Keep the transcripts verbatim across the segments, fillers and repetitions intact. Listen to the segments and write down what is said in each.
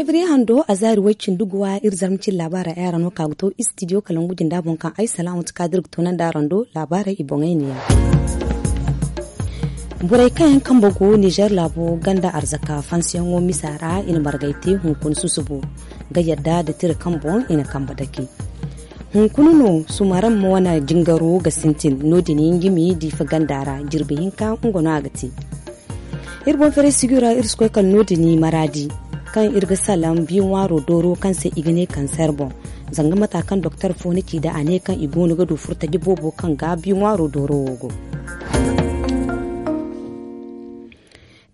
Febriye hando a zaari way-cindi guwa iri zarma cine laabaarey ay araŋ no ka ga to istidiyo kalangu jinda boŋ kaŋ ay salaamatu kaadir ga toonandi araŋ do. Laabaarey i boŋey ne yaŋ. Borey kaŋ yaŋ kambe go nizer laabo ganda arzaka fansiyaŋo misa ra i na margay te hunkuna susubo ga yadda nda tira kaŋ boŋ i na kambe dake. Hunkuna no sumaraŋ ma wane jingaro ga sintin no- din yaŋ jimi diifa ganda ra jirbi hinka nga no a ga te. Iri boŋ feeray sigi ra iri si koy kala no- din maraadi kaŋ iri ga salaŋ bi ŋwaaro dooro kaŋ se i ga ne kanseer boŋ. Zanga mata kaŋ doktor fo na ci nd'a a ne kaŋ i goono ga du furtaji boobo kaŋ ga bi ŋwaaro dooro wo go.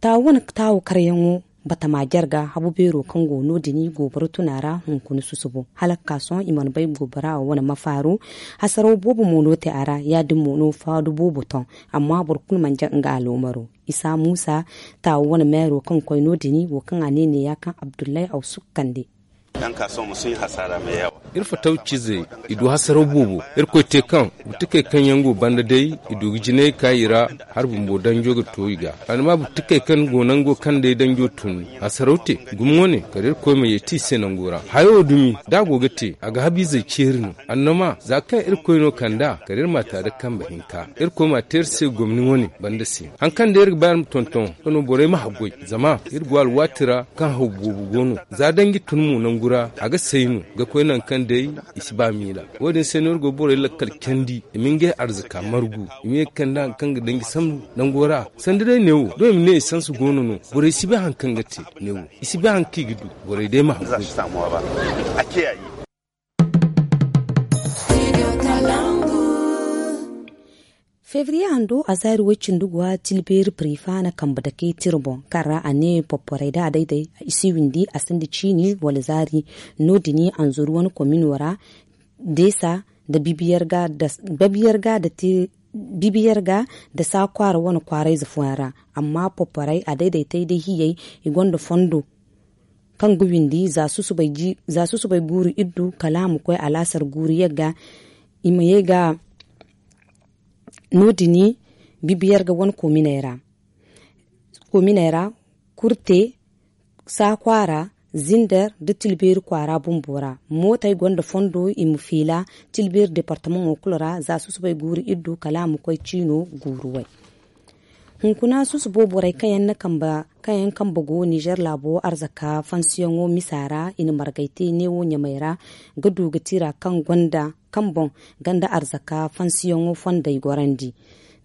Taawo wane taawo karyaŋo batama jarga habu beero kaŋ go no- din gooboro tuna ra hunkuna susubo hala ga ka sohõ i mana bay goobora wo wane mafaaru. Hasaraw boobo mo no te a ra ya- din mo no faadu boobo toŋ. Amma boro kulu mana jaŋ nga aloomaro isa muusa taawo wane meero kaŋ koy no- din wo kaŋ a ne neeya kaŋ abdullahi awsuk kande. Iri fataw ciizey i du hasaraw boobo. Irkoy te kaŋ buttukey kaŋ yaŋ go banda day i du ga jinay ka i ra hala bumbo danjo ga to i ga. Annama buttukey kaŋ go nango kaŋ day danjo tun hasaraw te gumo wane kala irkoy ma yeeti i se nango ra hayo dumi da a go ga te a ga habiizey ceeri no. Annama za kaŋ irkoy no kand'a kala iri ma a ta nda kambe hinka. Irkoy ma a te iri se gomni wane banda se hari kaŋ day iri ga ba iri ma tonton nga no borey ma haggoy. Zama iri go alwaati ra kaŋ haw boobo go no za danji tun mo nangu ra a ga say no ga koy nangu kaŋ day i si ba miila. Wo- din se no iri go borey lakkal candi i ma ngey arzaka margu i ma ye ga kande hari kaŋ ga danji sambu nango ra. Sanda day neewo doŋ i ma ne i sansa goono no borey si bay hari kaŋ ga te. Neewo i si bay hari kaŋ i ga du. Borey day ma haggoy. Febriye hando a zaari way-cindi guwa tilbeeri pirifa na kambe dake tira boŋ kaŋ ra a ne popporay da a day-day i si windi a sinda ciini wala zaari. No- din anzuru wane komino ra deesa nda bibiyer ga nda saakwaara wane kwaarayze fooyaŋ ra. Amma popporay a day-day tay day hiyey i gonda fondo kaŋ ga windi za susubay guuru iddu kala a ma koy alaasar guuru yagga. I ma ye ga no- din bibiyer ga wane koominey ra kurte saakwaara zinder nda tilbeeri kwaara bumbo ra. Mootey gonda fondo i ma fiila tilbeeri departamaŋo kulu ra za susubay guuru iddu kala a ma koy ciino guuru way. Hunkuna susubo borey kaŋ yaŋ kambe go nizer laabo arzaka fansiyaŋo misa ra i na margay te neewo ɲamey ra ga du ga tira kaŋ gonda kaŋ boŋ ganda arzaka fansiyaŋo fondey gorandi.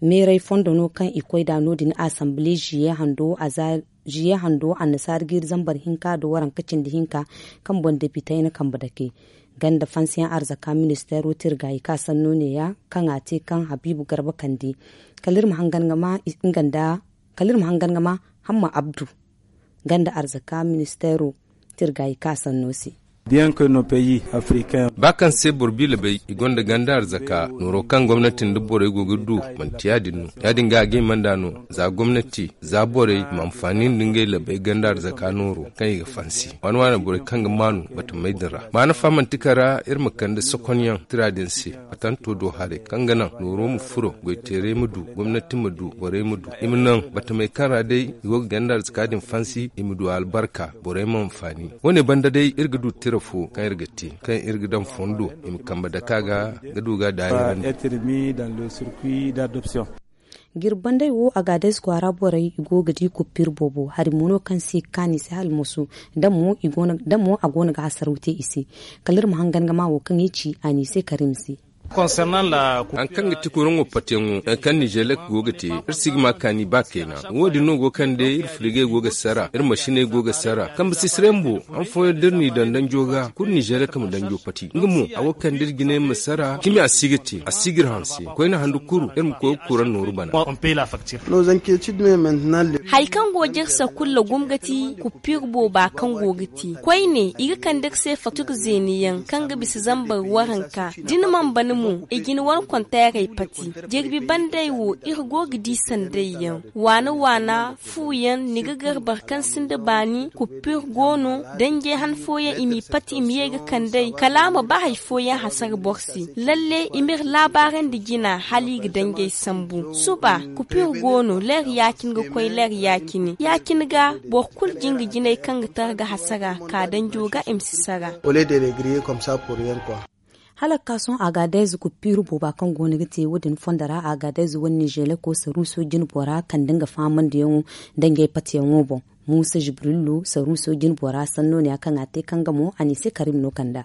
Meeray fondo no kaŋ i koy nd'a no- din asanbile ziye hando annasaara jiiri zambar hinka nda waranka cindi hinka kaŋ boŋ depitey na kambe dake ganda fansiyaŋ arzaka ministeero tirgaayi ka sanno neeya kaŋ a te kaŋ habiibu garba kande. Kala iri ma hangan ga ma nga nda kala iri ma hangan ga ma hamma abdu ganda arzaka ministeero tirgaayi ka sanno se. Ba kaŋ se boro biila bay i gonda ganda arzaka nooro kaŋ gomnati nda borey go ga du manti ya- din no. Ya- din ga a ga hima nd'a no za gomnati za borey ma anfaani nda ngey labey ganda arzaka nooro kaŋ i ga fansi waani waani borey kaŋ ga maanu batamey din ra. Maana fa manti kala iri ma kande sokonyaŋ tira din se batanto do haray kaŋ ga naŋ nooro ma furo goyteerey ma du gomnati ma du borey ma du i ma naŋ batamey kaŋ ra day i go ga ganda arzaka din fansi i ma du albarka borey ma anfaani. Wo- ne banda day iri ga du tira fo kaŋ iri ga te kaŋ iri ga daŋ fondo i ma kambe dake a ga ga du ga daayirandi. Jirbi banday wo agaades kwaara borey i go ga di kuppir boobo hari mo no kaŋ se ga kaanu i se hala musu da mo a go no ga hasaraw te i se. Kala iri ma hangan ga ma wo kaŋ i ci a ne i se karim se. Hari kaŋ ga ti kuraŋo patiyaŋo hari kaŋ nizelek go ga te iri si ga ma kaani ba kayna. Wo- din no go kaŋ day iri firigey go ga sara iri masiney go ga sara kambe sisirey bumbo han fooyaŋ da iri n'i daŋ danjo ga kulu nizelek ma danjo pati nga mo a go ga kande iri jinay ma sara cimi a si ga te a si ga iri hanse koyne handu kuru iri ma koy ga kuraŋ nooru bana. Hari kaŋ go jirsa kulu lagum ga ti kuppir booba kaŋ go ga te koyne i ga kande iri se faktur zeeniyaŋ kaŋ ga bisa zambar waranka da ni mana bana. I jina wane konteerey pati. Jirbi bandey wo iri go ga di sanday yaŋ waana waana. Fu yaŋ ni ga gar boro kaŋ sinda baani kuppir go no. Danjey han fooyaŋ i m'i pati i ma ye ga kand'ey kala a ma ba hari fooyaŋ hasara boro se. Lalle i m'iri laabaarandi jina hala i ga danjey sambu suba. Kuppir go no leer ya-cine ga koy leer ya-cine ya-cine ga. Boro kulu jinga jinay kaŋ ga tara ga hasara ka danjo ga i ma si sara. Hala ga ka sohõ agadez kuppiiru booba kaŋ go no ga te wo- din fondo ra agadez wane nizeleko saruuso jinbo ra kande nga fahamandiyaŋo nda ngey patiyaŋo boŋ. Muusa jibrilu saruuso jinbo ra sanno ne ya kaŋ a te kaŋ ga mo a ne i se karim no kanda.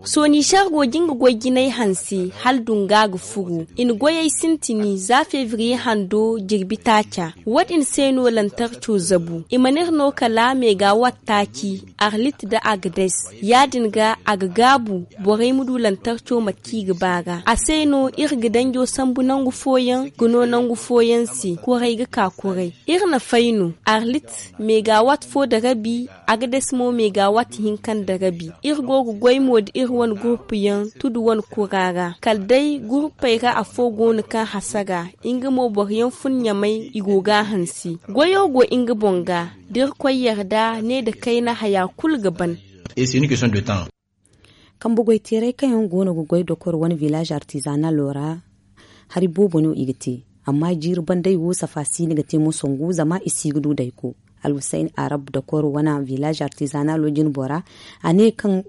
Sonishar go ga nga goy jinay hanse hala dunga ga furu i na goyey sintini za febriye hando jirbi taaca. Wo- din se no lantarco zabu i mana iri no kala megawatt taaci arlit nda agades. Ya- din ga a ga gaabu borey ma du lantarco mate kaŋ i ga ba ga a se no iri ga danjo sambu nangu fooyaŋ ga no nangu fooyaŋ se kuray ga ka kuray. Iri na fay no arlit megawatt fo nda rabi. Agades mo megawatt hinka nda rabi. Iri go ga goy mo nda iri wane gurupu yaŋ tudu wane kura ra kala day gurupey ra afo go no kaŋ hasara. Nga mo boro yaŋ fun ɲamay i go ga a hanse. Goyo go nga boŋ ga da irkoy yarda ne nda kayna haya kulu ga ban. Kambe goy teerey kaŋ yaŋ go no ga goy dokor wane village artisanalo ra. Hari boobo no i ga te amma jiiri bandey wo safa si ni ga te mo sangu zama i si ga du dayko. Alhusayn arab dokor wane village artisanalo jinbo ra a ne kaŋ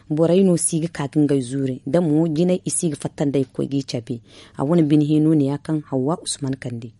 borey no si ga ka ga ngey zuuri da mo jinay i si ga fatta nd'ey ga koy g'i cabe. A wane bine hino ne ya kaŋ hawwa usman kande.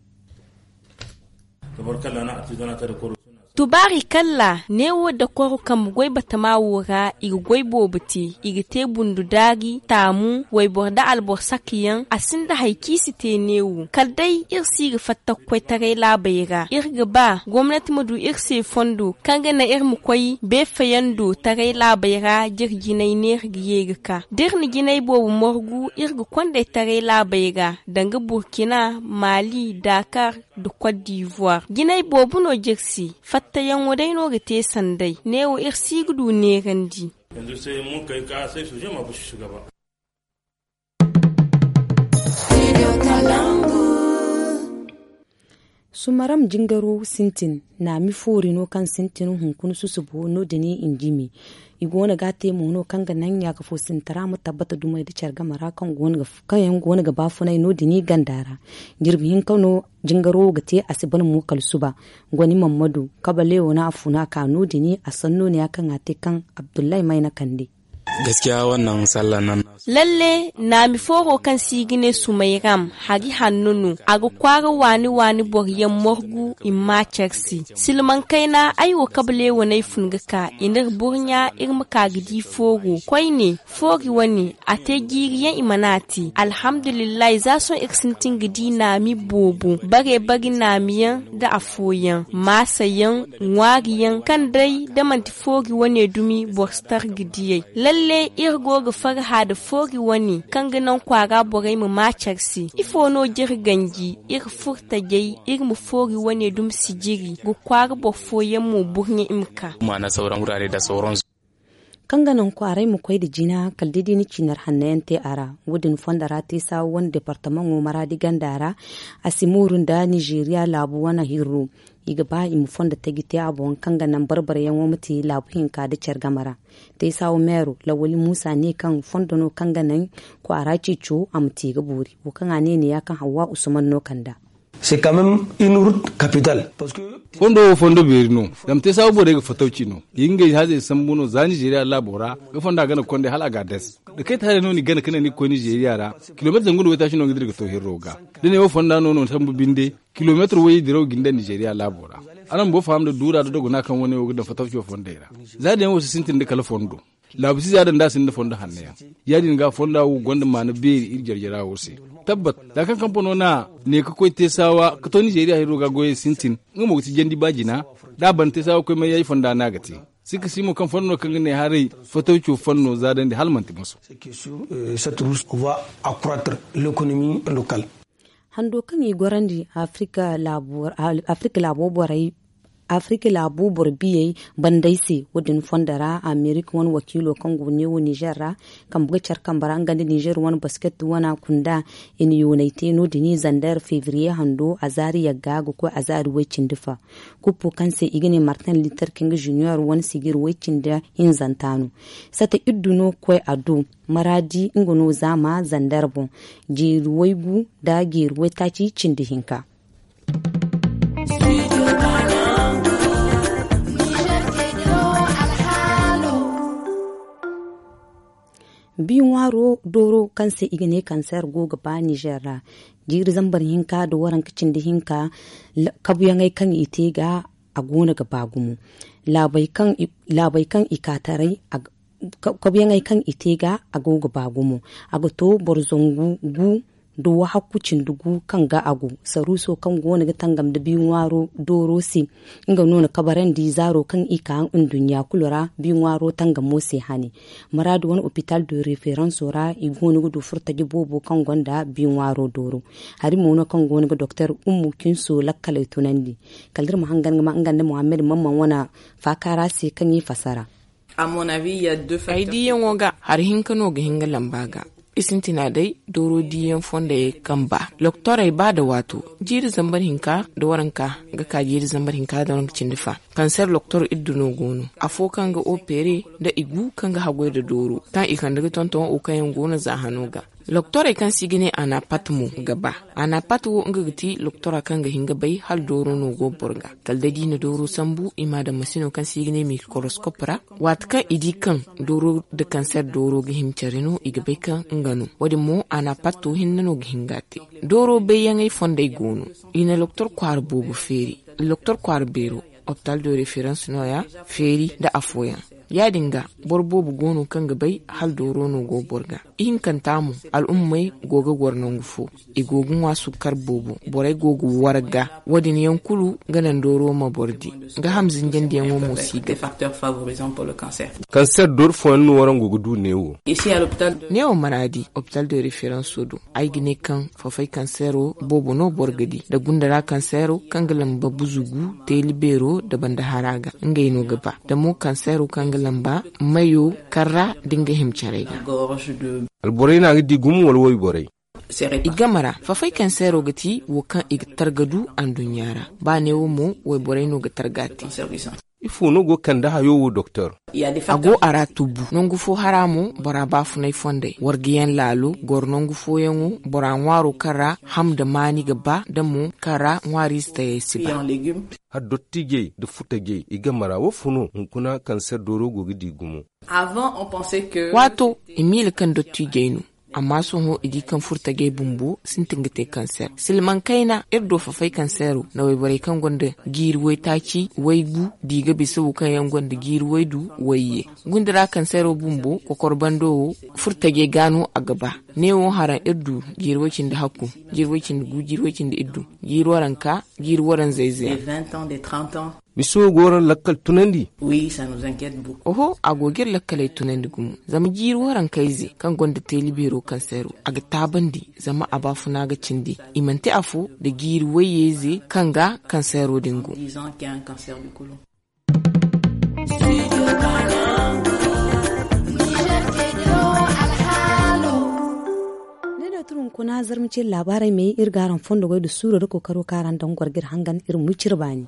Tubaari kalla neewo dakoro kambe goy batama wo ra i ga goy boobo te. I ga te bundu daari taamu wayboro nda alboro sakayaŋ a sinda hari kaŋ i si te neewo kala day iri si ga fatta ga koy taray laabey ra iri ga ba gomnati ma du iri se fondo kaŋ ga naŋ iri ma koy beefayando taray laabey ra da iri jinay neera ga ye ga ka da iri na jinay boobo margu iri ga kond'ey taray laabey ra danga burkina, mali, dakar, nda kot divoire jinay boobo no jirsi. Fattayaŋo day no ga te sanday neewo iri si ga du neerandi. Sumaram jingaro sintin naami foori no kaŋ sintin hunkuna susubo no- din i njimi. I go no ga a te mo no kaŋ ga naŋ ɲaaka fo sintara ma tabbata dumey nda care game ra kaŋ yaŋ go no ga baafunay no- din i ganda ra. Jirbi hinka no jingaro wo ga te a si ban mo kala suba. Goni mammadu kabalewo no a funa ka no- din a sanno ne ya kaŋ a te kaŋ abdullahi mayna kande. Lalle naami fooro kaŋ se i ga ne sumayram hari hanno no a ga kwaara waani waani boro yaŋ margu i ma ma care se. Silmaŋ kayna ay wo kabaleewo no ay fun ga ka i n'iri burɲa iri ma ka ga di fooro koyne. Foori wane a te jiiri yaŋ i mana a te alhamdulillahi za sohõ iri sintin ga di naami boobo bare bare naami yaŋ nda afooyaŋ maasa yaŋ ŋwaari yaŋ kaŋ day da manti foori wane dumi boro si tar ga diyey. Lalle iri go ga farha nda foori wane kaŋ ga naŋ kwaara borey ma ma care se ifo no j'iri ganji iri furtajey iri ma foori wane dumi sijiri ga kwaara boro fooyaŋ mo burɲe i ma ka. Kaŋ ga naŋ kwaaray ma koy nda jina kala da i di ni ciinar hanno yaŋ te a ra. Wo- din fondo ra te saawa wane departamaŋo maraadi ganda ra a si mooru nda nizeeriya laabu wane hirro. I ga ba i ma fondo taji te a boŋ kaŋ ga naŋ barbaryaŋo ma te laabu hinka nda care game ra. Te saawa meero lawali muusa ne kaŋ fondo no kaŋ ga naŋ kwaara ceeco a ma te ga boori wo kaŋ a ne ne ya kaŋ hawwa usman no kanda. Fondo wo fondo beeri no. Zama te saabu borey ga fatawci no i ga ngey haazey sambu no za nizeeriya laabo ra. Ga fonda gana kondey hala a ga a das da kay ta haray no ni gana ka ne ni ga koy nizeeriya ra. Kilomeetar zangu nda waytaaci no ga dira ga to hirro ga da ne wo fonda no no sambu binde. Kilomeetar wayey diraw ga ni daŋ nizeeriya laabo ra. Araŋ boro faham nda duura nda dogona kaŋ wane wo ga daŋ fatawco fondey ra. Za din yaŋ wo si sintin nda kala fondo. Laabu si za daŋ da a sinda fondo hanno yaŋ. Ya- din ga fonda wo gonda maana beeri iri jarjara wo se. Tabbat za kaŋ kampano n'a ne ga koy te saawa ga to nizeeriya hirro ga goyey sintin. Nga mo ga ti jandi ba jina da a ban te saawa ga koy mayyaji fonda no a ga te. Sikka si mo kaŋ fondo no kaŋ ga ne haray fatawco fanno za daŋ di hala manti moso. Hando kaŋ i gorandi afirika laabo borey Afirka laabu boro biyey bandey se. Wo- din fondo ra amerika wane wakiilo kaŋ go ga neewo nizer ra, kambe ga care kambe ra nga nda nizer wane basket wana kunda. I na yoonay te no- din i zander febriye hando a zaari yagga ga koy a zaari way- cindi fa. Kuppo kaŋ se i ga ne martin liter king junior wane sijir way- cindi hinzanta no. Sata iddu no ga koy a do maraadi nga no zaama zander boŋ. Jeeri waygu nda jeeri waytaaci cindi hinka. Bi ŋwaaro dooro kaŋ se i ga ne kanseer go ga ba nizer ra. Jiiri zambar hinka nda waranka cindi hinka. Kabuyaŋey kaŋ i te ga a go no ga ba gumo. Laabey kaŋ i ka taray. Kabuyaŋey kaŋ i te ga a go ga ba gumo. A ga to boro zangu gu nda wahakku cindi gu kaŋ ga a go. Saruuso kaŋ go no ga tangam nda bi ŋwaaro dooro se. Nga no na kabarandi zaaro kaŋ i ka nduɲɲa kulu ra bi ŋwaaro tangamo se hane. Maraadi wane opital de referanso ra i go no ga du furtaje boobo kaŋ gonda bi ŋwaaro dooro. Hari mo no kaŋ go no ga doktor ummu kinso lakkaley tunandi. Kala da iri ma hangan ga ma nga nda muhammad mamman wane faakaara se kaŋ i fasara. Ay diiyaŋo ga hari hinka no ga hin ga lamba ga. I sintina day dooro diiyaŋ fondayey kaŋ ba doktorey ba nda waato jiiri zambar hinka nda waranka ga ka jiiri zambar hinka nda waranka cindi fa. Kanseer doktor iddu no go no afo kaŋ ga opere nda i gu kaŋ ga haggoy nda dooro kaŋ i kande ga tonton wo kaŋ yaŋ go no za hano ga. Doktorey kaŋ se i ga ne anapat mo ga ba. Anapat wo nga ga ti doktora kaŋ ga hin ga bay hala dooro no go boro ga. Kala day da i na dooro sambu i m'a daŋ masino kaŋ se i ga ne mikoroskop ra. Waati kaŋ i di kaŋ dooro nda kanseer dooro ga hima care no i ga bay kaŋ nga no. Wo- din mo anapat wo hinne no ga hin ga a te. Dooro bayyaŋey fondey go no. I na doktor kwaara boobo feeri. Doktor kwaara beero opital de referans no- ya feeri nda afooyaŋ. Ya- din ga boro boobo go no kaŋ ga bay hala dooro no go boro ga. Ihinkanta mo al'ummey go ga goro nangu fo. I go ga ŋwa sukkar boobo. Borey go ga warga. Wo- din yaŋ kulu ga naŋ dooro ma boro di. Nga ham zinjandiyaŋo mo si ga. Kanseer dooro fooyaŋ no warango ga du neewo. Neewo maraadi opital de referanso do. Ay ga ne kaŋ fafay kanseero boobo no boro ga di nda gunda ra kanseero kaŋ ga lamba buzugu teeli beero nda banda hara ga. Ngey no ga ba nda mo kanseero kaŋ ga lamba mayo kaŋ ra nda nga hima caray ga. Alborey no a ga di gumo wala wayborey? I game ra fafay kanseero ga ti wo kaŋ i ga targa du anduɲɲa ra. Ba neewo mo wayborey no ga targa te. Ifo no go ga kande hayo wo doktor? A go a ra tubu nangu fo hara mo bora baafunay fondey wargayaŋ laalo goro nangu fooyaŋo bora ŋwaaro kaŋ ra ham nda maani ga ba nda mo kaŋ ra ŋwaariize tayey si ba. Hala dottiijey nda furtajey i game ra wo fo no hunkuna kanseer dooro go ga di gumo? Waato i miila kaŋ dottiijey no. Amma sohõ i di kaŋ furtajey bumbo sintin ga te kanseer silmaŋ kayna iri do fafay kanseero na wayborey kaŋ gonda jiiri waytaaci waygu di ga bisa wo kaŋ yaŋ gonda jiiri waydu wayye. Gunda ra kanseero bumbo kokor bando wo furtajey ga no a ga ba. Neewo haraŋ iri du jiiri way-cindi hakku, jiiri way-cindi gu, jiiri way-cindi iddu, jiiri waranka, jiiri waranzey zeyaŋ. Miso go waraŋ lakkal tunandi? Oho, a go ga iri lakkaley tunandi gumo zama jiiri warankayze kaŋ gonda teeli beero kanseero a ga taabandi zama a baafuna ga cindi. I manti afo nda jiiri wayyeyze kaŋ ga kanseero din go. Ne no tun hunkuna zarma ce laabaarey me iri ga araŋ fondo goy nda suuro nda kookaro kaŋ araŋ daŋ goro ga iri hangan iri ma wi cire baani.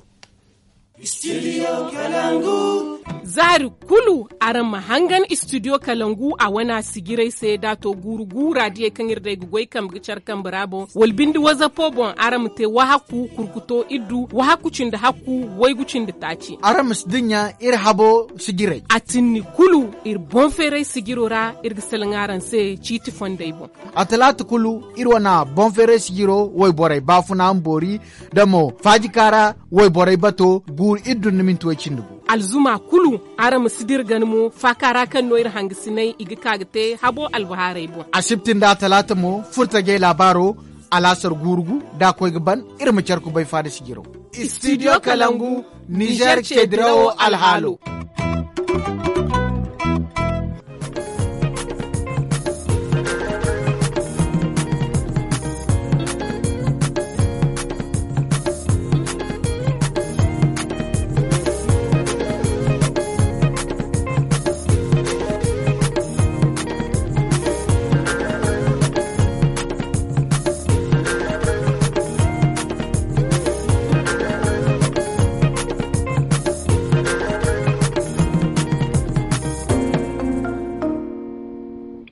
Zaari kulu araŋ ma hangan istidiyo kalangu a wana sijirey se da a to guuru guura diyey kaŋ iri day ga goy kambe ga care kambe ra boŋ wala binde wazapo boŋ araŋ ma te wahakku kurkuto iddu wahakku cindi hakku waygu cindi taaci. Araŋ ma si dinya iri habo sijirey a tinni kulu iri boŋ feeray sijiro ra iri ga salaŋ araŋ se ciiti fondey boŋ. A talaata kulu iri wana boŋ feeray sijiro wayborey baafuna ma boori da mo faajika ra wayborey bato guuru iri dun na minti way cindi gu. Alzuma kulu araŋ ma si dira gana mo faaka ra kaŋ no iri hangasinay i ga ka ga te habo albahaarey boŋ. Asibti nda talaata mo furtajey laabaaro alaasar guuru gu da a koy ga ban iri ma care kubay faada sijiro. Istidiyo kalangu nizer ce dirawo alhaalo.